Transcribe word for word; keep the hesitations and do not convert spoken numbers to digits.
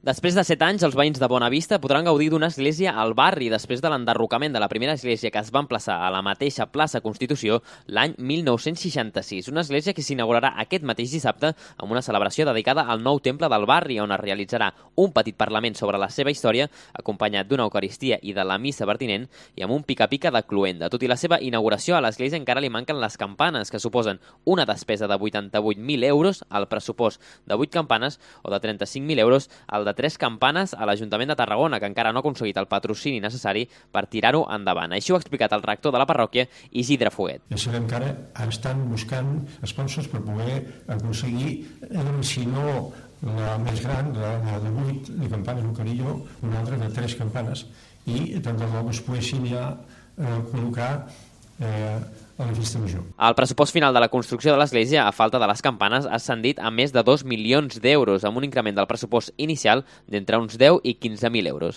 Després de set anys, els veïns de Bonavista podran gaudir d'una església al barri després de l'enderrocament de la primera església que es va emplaçar a la mateixa plaça Constitució l'any mil nou-cents seixanta-sis. Una església que s'inaugurarà aquest mateix dissabte amb una celebració dedicada al nou temple del barri, on es realitzarà un petit parlament sobre la seva història, acompanyat d'una eucaristia i de la missa pertinent, i amb un pica-pica de cluenda. Tot i la seva inauguració, a l'església encara li manquen les campanes, que suposen una despesa de vuitanta-vuit mil euros al pressupost de vuit campanes o de trenta-cinc mil euros al de de tres campanes a l'Ajuntament de Tarragona, que encara no ha aconseguit el patrocini necessari per tirar-ho endavant. Així ho ha explicat el rector de la parròquia, Isidre Foguet. Ja sabem que ara estan buscant sponsors per poder aconseguir, si no la més gran, la de vuit de campanes, un carillo, una altra de tres campanes, i tant de bo es poguessin ja col·locar eh, a la festa major. El pressupost final de la construcció de l'església, a falta de les campanes, ha ascendit a més de dos milions d'euros, amb un increment del pressupost inicial d'entre uns deu i quinze mil euros.